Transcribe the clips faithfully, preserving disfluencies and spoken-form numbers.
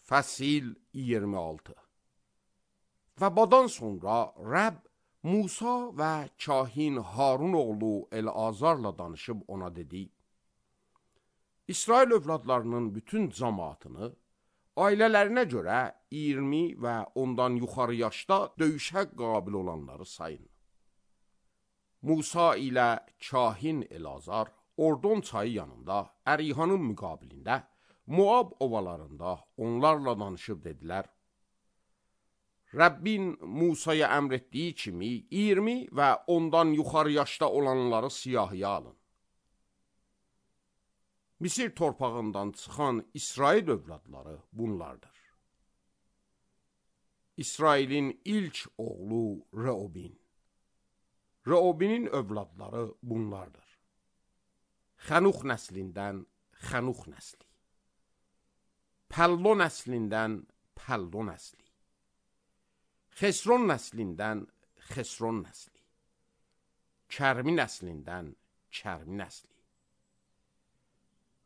Fəsil iyirmi altı. Və bundan sonra Rəbb Musa və kahin Harun oğlu Elazarla danışıb ona dedi: İsrail övladlarının bütün cəmaatını ailələrinə görə iyirmi və ondan yuxarı yaşda döyüşə qabil olanları sayın. Musa ilə kahin Elazar Ordon çayı yanında Ərihanın müqabilində Moab ovalarında onlarla danışıb dedilər: Rəbbin Musaya əmr etdiyi kimi iyirmi və ondan yuxarı yaşda olanları siyahıya alın. Misir torpağından çıxan İsrail övladları bunlardır. İsrailin ilk oğlu Reobin. Reobinin övladları bunlardır. Xənux nəslindən Xənux nəsli. Pəllo nəslindən Pəllo nəsli. Xesron nəslindən Xesron nəsli. Kərmi nəslindən Kərmi nəsli.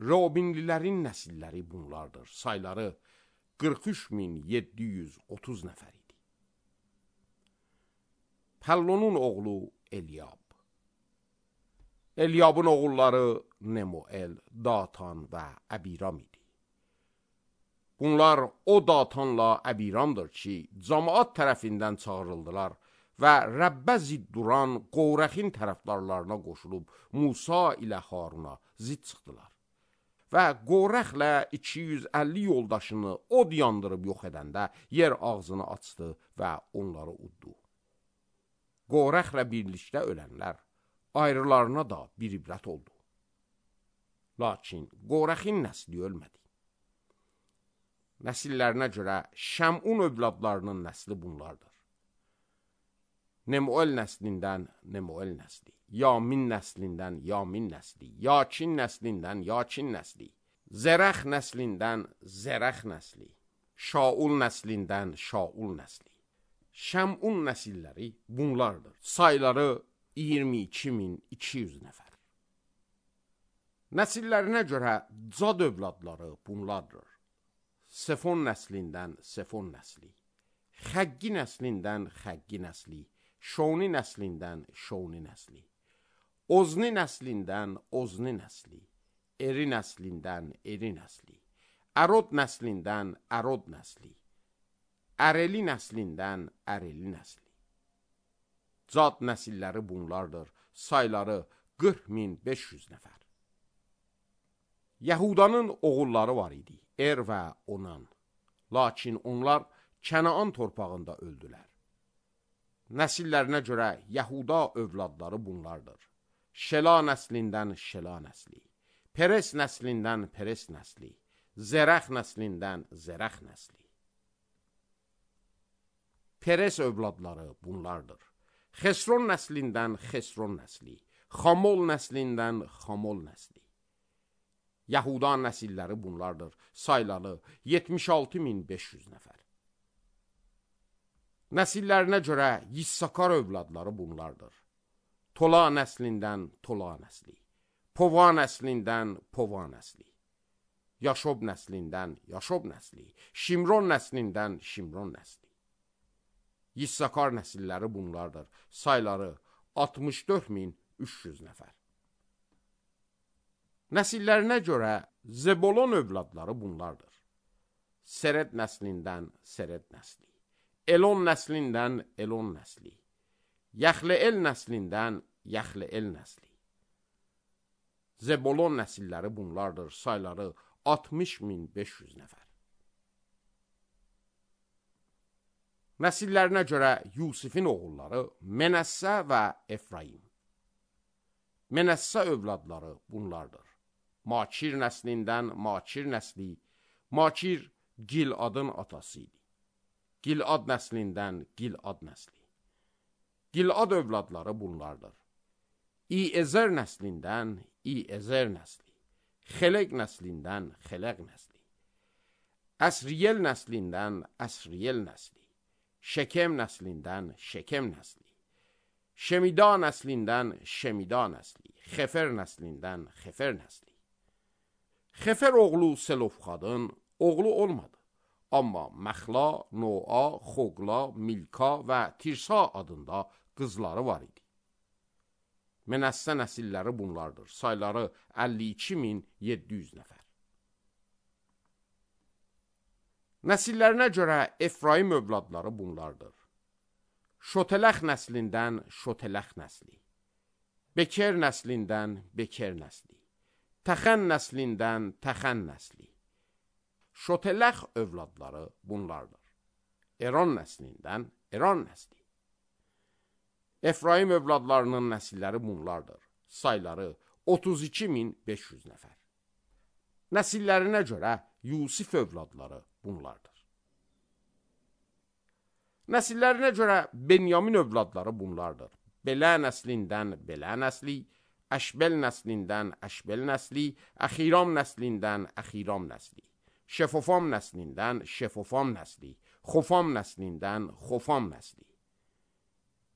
Reobinlilərin nəsilləri bunlardır. Sayları qırx üç min yeddi yüz otuz nəfər idi. Pəllonun oğlu Eliab. Eliabın oğulları Nemuel, Datan və Əbiram idi. Bunlar o Datanla Əbiramdır ki, cəmaat tərəfindən çağırıldılar və Rəbbə zidd duran Qorəxin tərəfdarlarına qoşulub Musa ilə Haruna zidd çıxdılar. Və Qorəxlə iki yüz əlli yoldaşını od yandırıb yox edəndə yer ağzını açdı və onları uddu. Qorəxlə birlikdə ölənlər ayrılarına da bir ibrət oldu. Lakin Qorəxin nəsli ölmədi. Nəsillərinə görə Şəmun övladlarının nəsli bunlardır. Nemuel nəslindən Nemuel nəsli, Yamin nəslindən Yamin nəsli, Yakin nəslindən Yakin nəsli, Zərəx nəslindən Zərəx nəsli, Şaul nəslindən Şaul nəsli. Şəmun nəsilləri bunlardır. Sayları iyirmi iki min iki yüz nəfər. Nəsillərinə görə Cad övladları bunlardır. Sefon nəslindən Sefon nəsli, Xəggi nəslindən Xəggi nəsli, Şoni nəslindən Şoni nəsli, Ozni nəslindən Ozni nəsli, Eri nəslindən Eri nəsli, Ərod nəslindən Ərod nəsli, Əreli nəslindən Əreli nəsli. Cad nəsilləri bunlardır. Sayları qırx min beş yüz nəfər. Yəhudanın oğulları var idi, Er və Onan. Lakin onlar Kənaan torpağında öldülər. Nəsillərinə görə Yəhuda övladları bunlardır. Şela nəslindən Şela nəsli, Peres nəslindən Peres nəsli, Zərəx nəslindən Zərəx nəsli. Peres övladları bunlardır. Xesron nəslindən Xesron nəsli, Xamol nəslindən Xamol nəsli. Yəhuda nəsilləri bunlardır. Sayları yetmiş altı min beş yüz nəfər. Nəsillərinə görə Yissakar övladları bunlardır. Tola nəslindən Tola nəsli, Pova nəslindən Pova nəsli, Yaşob nəslindən Yaşob nəsli, Şimron nəslindən Şimron nəsli. Yissakar nəsilləri bunlardır. Sayları altmış dörd min üç yüz nəfər. Nəsillərinə görə Zebolon övladları bunlardır. Seret nəslindən Seret nəsli, Elon nəslindən Elon nəsli, Yaxleel nəslindən Yaxleel nəsli. Zebolon nəsilləri bunlardır. Sayları altmış min beş yüz nəfər. Nəsillərinə görə Yusifin oğulları Menəssə və Efraim. Menəssə övladları bunlardır. Makir nəslindən Makir nəsli, Makir Giladın atası idi. Gilad nəslindən Gilad nəsli. Gilad övladları bunlardır. İezer nəslindən İezer nəsli, Xeleq nəslindən Xeleq nəsli, Əsriyel nəslindən Əsriyel nəsli, Şekem nəslindən Şekem nəsli, Şemida nəslindən Şemida nəsli, Xefer nəslindən Xefer nəsli. Xefer oğlu Selofxadın oğlu olmadı. Amma Məxla, Noa, Xoqla, Milka və Tirsa adında qızları var idi. Mənəssə nəsilləri bunlardır. Sayları əlli iki min yeddi yüz nəfər. Nəsillərinə görə Efraim övladları bunlardır. Şotələx nəslindən Şotələx nəsli, Beker nəslindən Beker nəsli, Təxən nəslindən Təxən nəsli. Şotələx övladları bunlardır. Eron nəslindən Eron nəsli. Efraim övladlarının nəsilləri bunlardır. Sayları otuz iki min beş yüz nəfər. Nəsillərinə görə Yusif övladları bunlardır. Nəsillərinə görə Benyamin övladları bunlardır. Belə nəslindən Belə nəsli, Əşbəl nəslindən Əşbəl nəsli, Əxiram nəslindən Əxiram nəsli, Şefofam nəslindən Şefofam nəsli, Xofam nəslindən Xofam nəsli.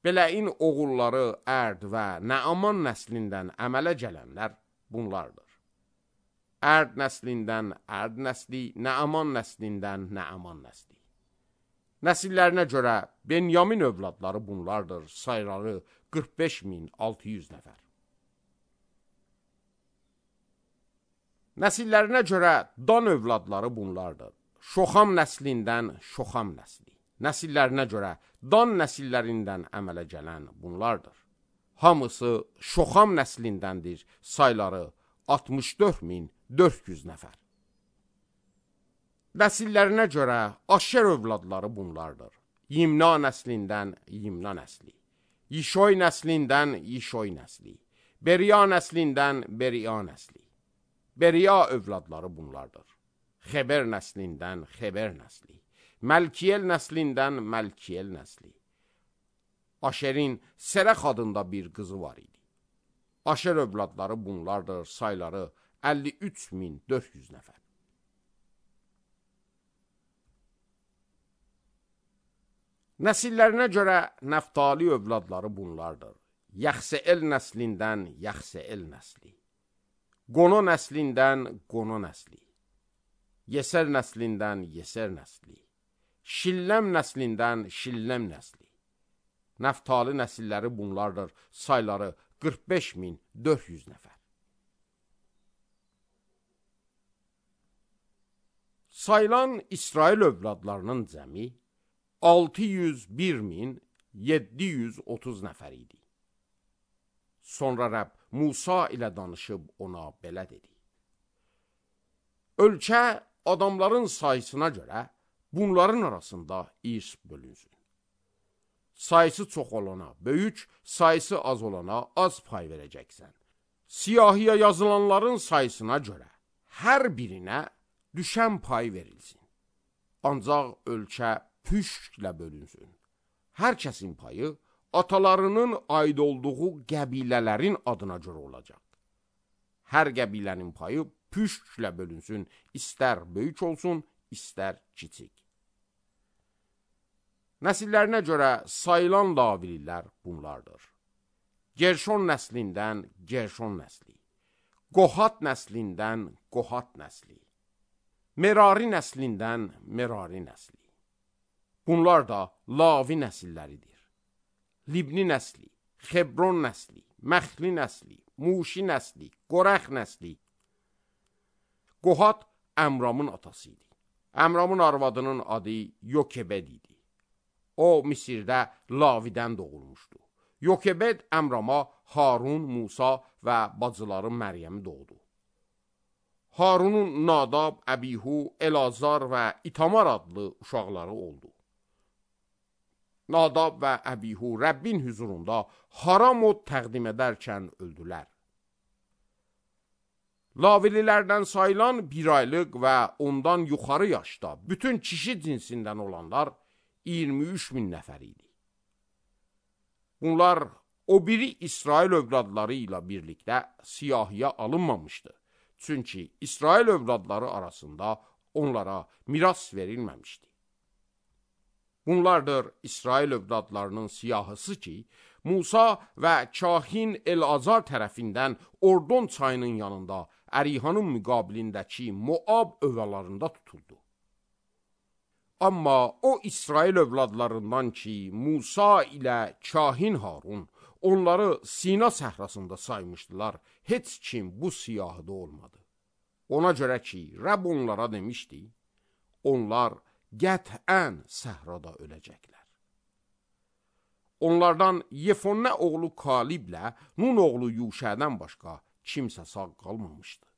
Beləin oğulları Ərd və Nəaman nəslindən əmələ gələnlər bunlardır. Ərd nəslindən Ərd nəsli, Nəaman nəslindən Nəaman nəsli. Nəsillərinə görə Benyamin övladları bunlardır. Sayları qırx beş min altı yüz nəfər. Nəsillərinə görə Dan övladları bunlardır. Şoxam nəslindən Şoxam nəsli. Nəsillərinə görə Dan nəsillərindən əmələ gələn bunlardır. Hamısı Şoxam nəslindəndir. Sayları altmış dörd min dörd yüz nəfər. Nəsillərinə görə Aşer övladları bunlardır. Yimna nəslindən Yimna nəsli, Yişoy nəslindən Yişoy nəsli, Beriya nəslindən Beriya nəsli. Beriya övladları bunlardır. Xeber nəslindən Xeber nəsli, Məlkiyel nəslindən Məlkiyel nəsli. Aşerin Serəx adında bir qızı var idi. Aşer övladları bunlardır. Sayları əlli üç min dörd yüz nəfər. Nəsillərinə görə Nəftali övladları bunlardır. Yaxseel nəslindən Yaxseel nəsli, Qono nəslindən Qono nəsli, Yeser nəslindən Yeser nəsli, Şilləm nəslindən Şilləm nəsli. Nəftali nəsilləri bunlardır. Sayları qırx beş min dörd yüz nəfər. Sayılan İsrail övladlarının cəmi altı yüz bir min yeddi yüz otuz nəfər idi. Sonra Rəbb Musa ilə danışıb ona belə dedi. Ölkə adamların sayısına görə bunların arasında irs bölünsün. Sayısı çox olana böyük, sayısı az olana az pay verəcəksən. Siyahiyə yazılanların sayısına görə hər birinə düşən pay verilsin. Ancaq ölkə püşklə bölünsün. Hər kəsin payı atalarının aid olduğu qəbilələrin adına görə olacaq. Hər qəbilənin payı püşklə bölünsün, istər böyük olsun, istər kiçik. Nəsillərinə görə sayılan Lavililər bunlardır. Gerşon nəslindən Gerşon nəsli, Qohat nəslindən Qohat nəsli, Merari nəslindən Merari nəsli. Bunlar da Lavi nəsilləridir. Libni nəsli, Xebron nəsli, Məxli nəsli, Muşi nəsli, Qorəx nəsli. Qohat Əmramın atası idi. Əmramın arvadının adı Yokebed idi. O, Misirdə Lavidən doğulmuşdu. Yokebed Əmrama Harun, Musa və bacıları Məryəmi doğdu. Harunun Nadab, Əbihu, Elazar və İtamar adlı uşaqları oldu. Nadab və Əbihu Rəbbin hüzurunda haram od təqdim edərkən öldülər. Lavililərdən sayılan bir aylıq və ondan yuxarı yaşda bütün kişi cinsindən olanlar iyirmi üç min nəfər idi. Bunlar o biri İsrail övladları ilə birlikdə siyahiyə alınmamışdı. Çünki İsrail övladları arasında onlara miras verilməmişdi. Bunlardır İsrail övladlarının siyahısı ki, Musa və kahin El-Azar tərəfindən Ordon çayının yanında Ərihanın müqabilindəki Moab övalarında tutuldu. Amma o İsrail övladlarından ki, Musa ilə kahin Harun onları Sina səhrasında saymışdılar, heç kim bu siyahıda olmadı. Ona görə ki, Rəbb onlara demişdi, onlar qətən səhrada öləcəklər. Onlardan Yefonə oğlu Kaliblə Nun oğlu Yuşədən başqa kimsə sağ qalmamışdı.